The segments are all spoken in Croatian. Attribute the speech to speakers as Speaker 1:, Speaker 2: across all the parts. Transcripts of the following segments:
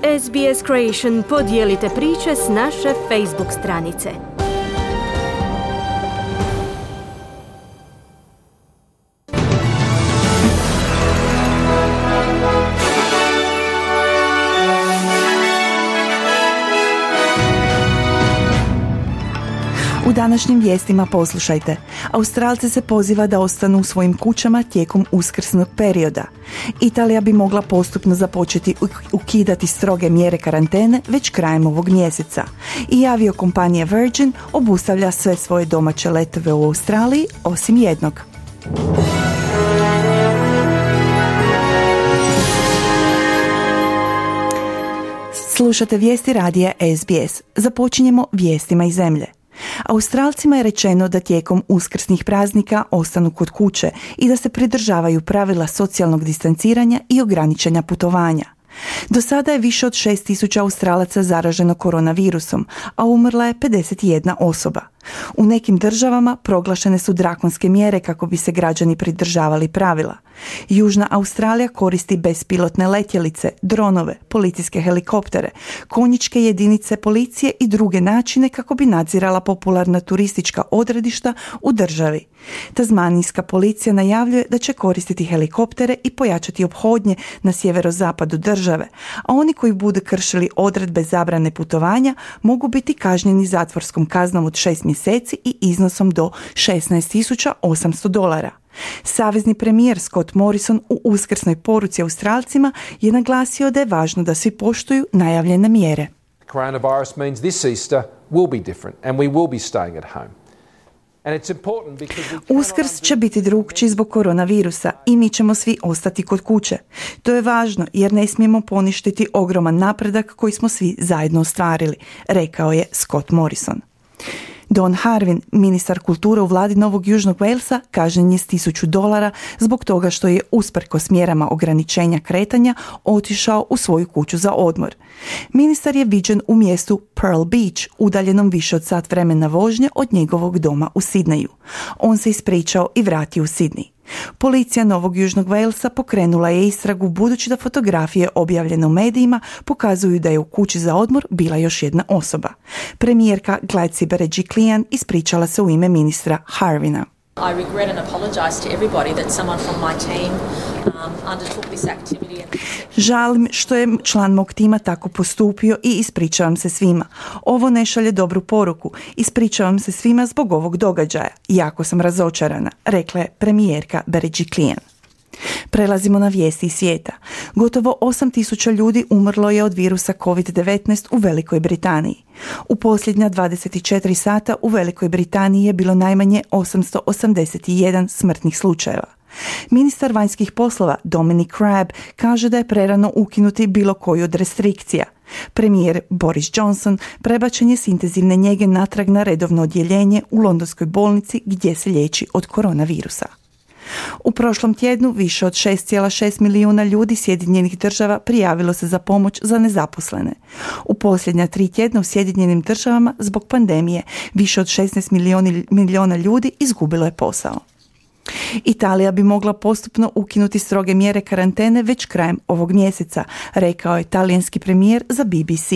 Speaker 1: SBS Creation podijelite priče s naše Facebook stranice.
Speaker 2: U današnjim vijestima poslušajte. Australce se poziva da ostanu u svojim kućama tijekom uskrsnog perioda. Italija bi mogla postupno započeti ukidati stroge mjere karantene već krajem ovog mjeseca. I aviokompanija Virgin obustavlja sve svoje domaće letove u Australiji osim jednog. Slušate vijesti radija SBS. Započinjemo vijestima iz zemlje. Australcima je rečeno da tijekom uskrsnih praznika ostanu kod kuće i da se pridržavaju pravila socijalnog distanciranja i ograničenja putovanja. Do sada je više od 6.000 Australaca zaraženo koronavirusom, a umrla je 51 osoba. U nekim državama proglašene su drakonske mjere kako bi se građani pridržavali pravila. Južna Australija koristi bespilotne letjelice, dronove, policijske helikoptere, konjičke jedinice policije i druge načine kako bi nadzirala popularna turistička odredišta u državi. Tasmanijska policija najavljuje da će koristiti helikoptere i pojačati ophodnje na sjeverozapadu države, a oni koji budu kršili odredbe zabrane putovanja mogu biti kažnjeni zatvorskom kaznom od 6 mjeseci i iznosom do $16,800. Savezni premijer Scott Morrison u uskrsnoj poruci Australcima je naglasio da je važno da svi poštuju najavljene mjere.
Speaker 3: Coronavirus means this Easter will be different and we will be staying at home.
Speaker 2: Uskrs će biti drukčiji zbog koronavirusa i mi ćemo svi ostati kod kuće. To je važno jer ne smijemo poništiti ogroman napredak koji smo svi zajedno ostvarili, rekao je Scott Morrison. Don Harvin, ministar kulture u vladi Novog Južnog Walesa, kažnjen je s $1,000 zbog toga što je usprkos mjerama ograničenja kretanja otišao u svoju kuću za odmor. Ministar je viđen u mjestu Pearl Beach, udaljenom više od sat vremena vožnje od njegovog doma u Sidneju. On se ispričao i vratio u Sidney. Policija Novog Južnog Walesa pokrenula je istragu budući da fotografije objavljene u medijima pokazuju da je u kući za odmor bila još jedna osoba. Premijerka Gladys Berejiklian ispričala se u ime ministra Harvina.
Speaker 4: I regret and apologize to everybody that someone from my team undertook this activity.
Speaker 2: Žalim što je član mog tima tako postupio i ispričavam se svima. Ovo ne šalje dobru poruku. Ispričavam se svima zbog ovog događaja. Jako sam razočarana, rekla je premijerka Berejiklian. Prelazimo na vijesti iz svijeta. Gotovo 8.000 ljudi umrlo je od virusa COVID-19 u Velikoj Britaniji. U posljednja 24 sata u Velikoj Britaniji je bilo najmanje 881 smrtnih slučajeva. Ministar vanjskih poslova Dominic Raab kaže da je prerano ukinuti bilo koju od restrikcija. Premijer Boris Johnson prebačen je s intenzivne njege natrag na redovno odjeljenje u londonskoj bolnici gdje se liječi od koronavirusa. U prošlom tjednu više od 6,6 milijuna ljudi Sjedinjenih država prijavilo se za pomoć za nezaposlene. U posljednja 3 tjedna u Sjedinjenim državama zbog pandemije više od 16 milijuna ljudi izgubilo je posao. Italija bi mogla postupno ukinuti stroge mjere karantene već krajem ovog mjeseca, rekao je talijanski premijer za BBC.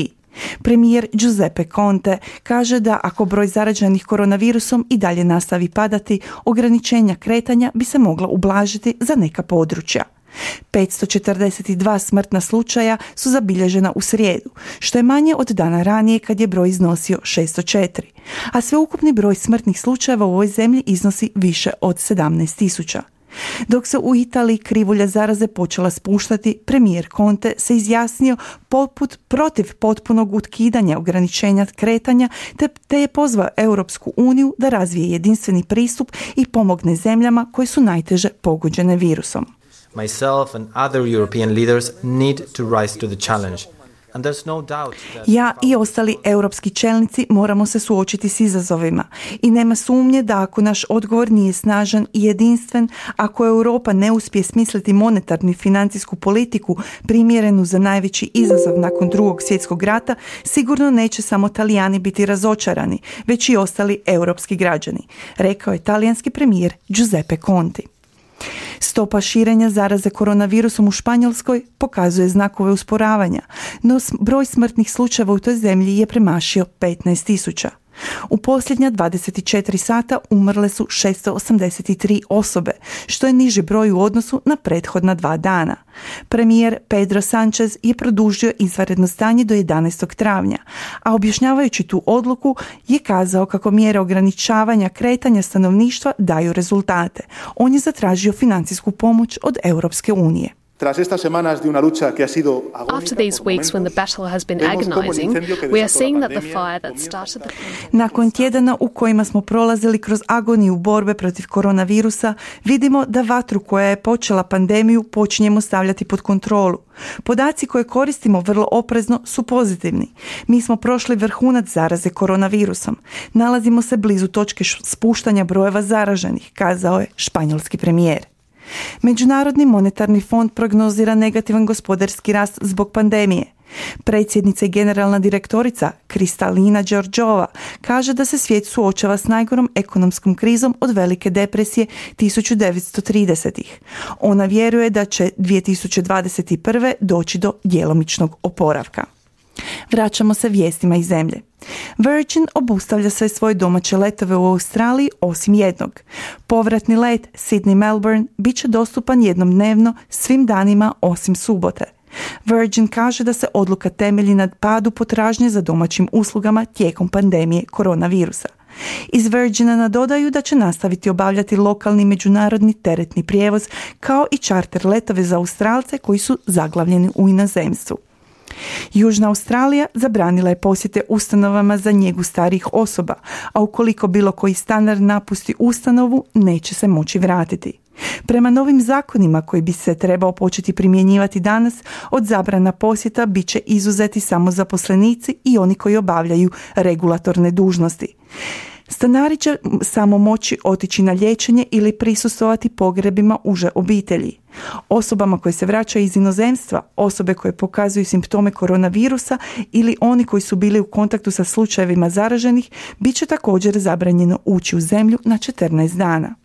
Speaker 2: Premijer Giuseppe Conte kaže da ako broj zaraženih koronavirusom i dalje nastavi padati, ograničenja kretanja bi se mogla ublažiti za neka područja. 542 smrtna slučaja su zabilježena u srijedu, što je manje od dana ranije kad je broj iznosio 604, a sveukupni broj smrtnih slučajeva u ovoj zemlji iznosi više od 17.000. Dok se u Italiji krivulja zaraze počela spuštati, premijer Conte se izjasnio protiv potpunog ukidanja ograničenja kretanja te je pozvao Europsku uniju da razvije jedinstveni pristup i pomogne zemljama koje su najteže pogođene virusom.
Speaker 5: Myself and other European leaders need to rise to the challenge.
Speaker 2: Ja i ostali europski čelnici moramo se suočiti s izazovima i nema sumnje da ako naš odgovor nije snažan i jedinstven, ako Europa ne uspije smisliti monetarnu i financijsku politiku primjerenu za najveći izazov nakon Drugog svjetskog rata, sigurno neće samo Talijani biti razočarani, već i ostali europski građani, rekao je talijanski premijer Giuseppe Conte. Stopa širenja zaraze koronavirusom u Španjolskoj pokazuje znakove usporavanja, no broj smrtnih slučajeva u toj zemlji je premašio 15.000. U posljednja 24 sata umrle su 683 osobe, što je niži broj u odnosu na prethodna 2 dana. Premijer Pedro Sanchez je produžio izvanredno stanje do 11. travnja, a objašnjavajući tu odluku je kazao kako mjere ograničavanja kretanja stanovništva daju rezultate. On je zatražio financijsku pomoć od Europske unije.
Speaker 6: After these weeks when the battle has been agonizing, we are seeing that the fire that started the
Speaker 2: Nakon tjedana u kojima smo prolazili kroz agoniju borbe protiv koronavirusa, vidimo da vatru koja je počela pandemiju počinjemo stavljati pod kontrolu. Podaci koje koristimo vrlo oprezno su pozitivni. Mi smo prošli vrhunac zaraze koronavirusom. Nalazimo se blizu točke spuštanja brojeva zaraženih, kazao je španjolski premijer. Međunarodni monetarni fond prognozira negativan gospodarski rast zbog pandemije. Predsjednica i generalna direktorica Kristalina Georgieva kaže da se svijet suočava s najgorom ekonomskom krizom od Velike depresije 1930-ih. Ona vjeruje da će 2021. doći do djelomičnog oporavka. Vraćamo se vijestima iz zemlje. Virgin obustavlja sve svoje domaće letove u Australiji osim jednog. Povratni let Sydney-Melbourne bit će dostupan jednom dnevno svim danima osim subote. Virgin kaže da se odluka temelji na padu potražnje za domaćim uslugama tijekom pandemije koronavirusa. Iz Virgina nadodaju da će nastaviti obavljati lokalni međunarodni teretni prijevoz kao i čarter letove za Australce koji su zaglavljeni u inozemstvu. Južna Australija zabranila je posjete ustanovama za njegu starijih osoba, a ukoliko bilo koji stanar napusti ustanovu, neće se moći vratiti. Prema novim zakonima koji bi se trebao početi primjenjivati danas, od zabrana posjeta bit će izuzeti samo zaposlenici i oni koji obavljaju regulatorne dužnosti. Stanari će samo moći otići na liječenje ili prisustvovati pogrebima uže obitelji. Osobama koje se vraćaju iz inozemstva, osobe koje pokazuju simptome koronavirusa ili oni koji su bili u kontaktu sa slučajevima zaraženih, bit će također zabranjeno ući u zemlju na 14 dana.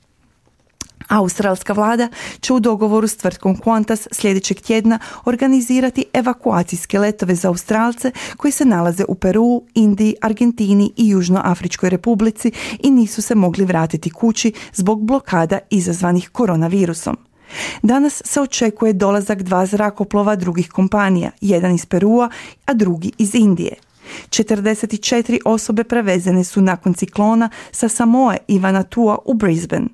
Speaker 2: Australska vlada će u dogovoru s tvrtkom Qantas sljedećeg tjedna organizirati evakuacijske letove za Australce koji se nalaze u Peruu, Indiji, Argentini i Južnoafričkoj republici i nisu se mogli vratiti kući zbog blokada izazvanih koronavirusom. Danas se očekuje dolazak 2 zrakoplova drugih kompanija, jedan iz Perua, a drugi iz Indije. 44 osobe prevezene su nakon ciklona sa Samoe i Vanuatua u Brisbane.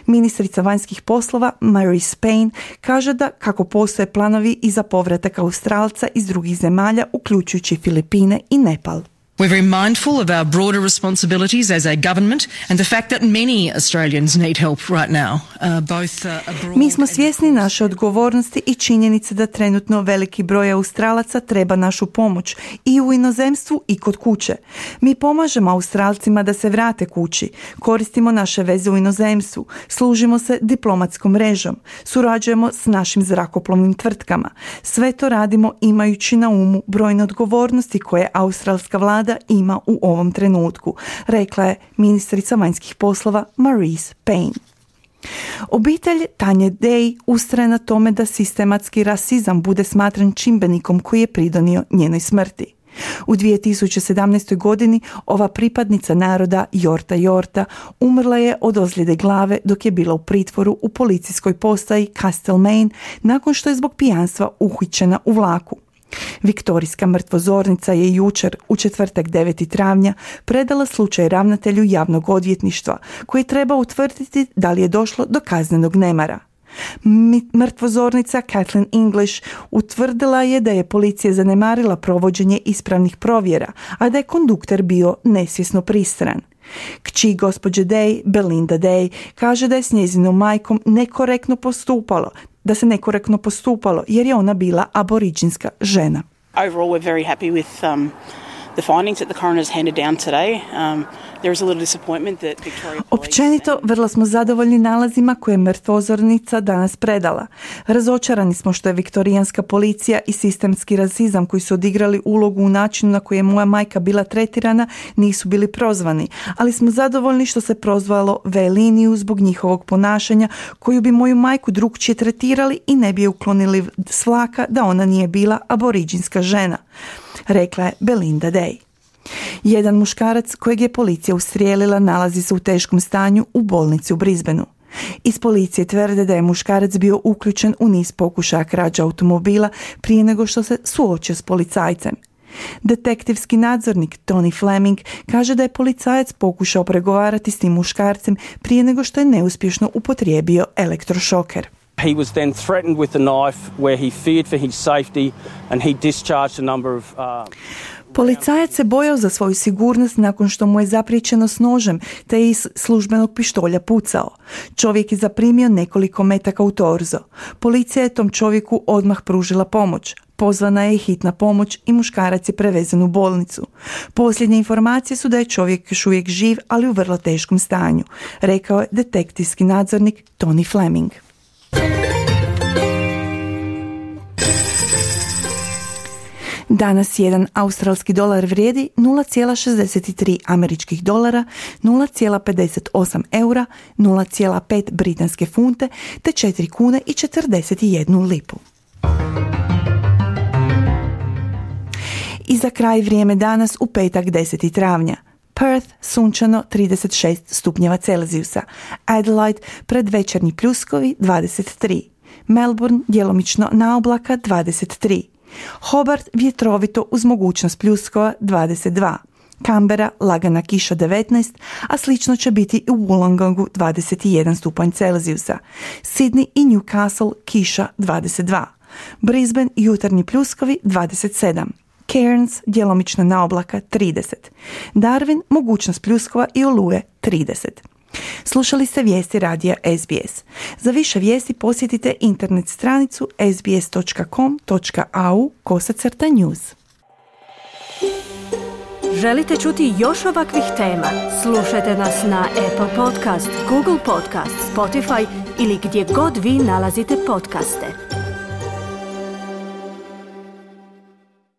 Speaker 2: Ministrica vanjskih poslova Marise Payne kaže da kako postoje planovi i za povratak Australca iz drugih zemalja, uključujući Filipine i Nepal.
Speaker 7: We're very mindful of our broader responsibilities as a government and the fact that many Australians need help right now, both abroad.
Speaker 2: Mi smo svjesni naše odgovornosti i činjenice da trenutno veliki broj Australaca treba našu pomoć i u inozemstvu i kod kuće. Mi pomažemo Australcima da se vrate kući, koristimo naše veze u inozemstvu, služimo se diplomatskom mrežom, surađujemo s našim zrakoplovnim tvrtkama. Sve to radimo imajući na umu brojne odgovornosti koje australska vlada ima u ovom trenutku, rekla je ministrica vanjskih poslova Marise Payne. Obitelj Tanje Day ustraje na tome da sistematski rasizam bude smatran čimbenikom koji je pridonio njenoj smrti. U 2017. godini ova pripadnica naroda Yorta umrla je od ozljede glave dok je bila u pritvoru u policijskoj postaji Castlemaine nakon što je zbog pijanstva uhićena u vlaku. Viktorijska mrtvozornica je jučer, u četvrtak 9. travnja, predala slučaj ravnatelju javnog odvjetništva, koji treba utvrditi da li je došlo do kaznenog nemara. Mrtvozornica Kathleen English utvrdila je da je policija zanemarila provođenje ispravnih provjera, a da je kondukter bio nesvjesno pristran. Kći gospođe Day, Belinda Day, kaže da je s njezinom majkom da se nekorektno postupalo jer je ona bila aboriđinska žena.
Speaker 8: Overall, we're very happy with the findings that the coroner's handed down today. There is a little disappointment that Victoria Police...
Speaker 2: Općenito, vrlo smo zadovoljni nalazima koje je mrtvozornica danas predala. Razočarani smo što je viktorijanska policija i sistemski rasizam koji su odigrali ulogu u načinu na koji je moja majka bila tretirana nisu bili prozvani, ali smo zadovoljni što se prozvalo V-liniju zbog njihovog ponašanja koju bi moju majku drukčije tretirali i ne bi je uklonili s vlaka da ona nije bila aboriđinska žena, rekla je Belinda Day. Jedan muškarac kojeg je policija ustrijelila nalazi se u teškom stanju u bolnici u Brisbaneu. Iz policije tvrde da je muškarac bio uključen u niz pokušaja krađa automobila prije nego što se suočio s policajcem. Detektivski nadzornik Tony Fleming kaže da je policajac pokušao pregovarati s tim muškarcem prije nego što je neuspješno upotrijebio elektrošoker.
Speaker 9: He was then threatened with a knife where he feared for his safety and he discharged a number of...
Speaker 2: Policajac se bojao za svoju sigurnost nakon što mu je zapriječeno s nožem te je iz službenog pištolja pucao. Čovjek je zaprimio nekoliko metaka u torzo. Policija je tom čovjeku odmah pružila pomoć. Pozvana je hitna pomoć i muškarac je prevezen u bolnicu. Posljednje informacije su da je čovjek još uvijek živ, ali u vrlo teškom stanju, rekao je detektivski nadzornik Tony Fleming. Danas jedan australski dolar vrijedi 0,63 američkih dolara, 0,58 eura, 0,5 britanske funte te 4 kune i 41 lipu. I za kraj vrijeme danas u petak 10. travnja. Perth sunčano 36 stupnjeva Celzijusa, Adelaide predvečernji pljuskovi 23, Melbourne djelomično na oblaka 23, Hobart vjetrovito uz mogućnost pljuskova 22, Canberra lagana kiša 19, a slično će biti i u Wollongongu 21 stupanj Celzijusa, Sydney i Newcastle kiša 22, Brisbane jutarnji pljuskovi 27, Cairns djelomično na oblaka 30, Darwin mogućnost pljuskova i oluje 30. Slušali ste vijesti radija SBS. Za više vijesti posjetite internet stranicu sbs.com.au/news.
Speaker 1: Želite čuti još ovakvih tema? Slušajte nas na Apple Podcast, Google Podcast, Spotify ili gdje god vi nalazite podcaste.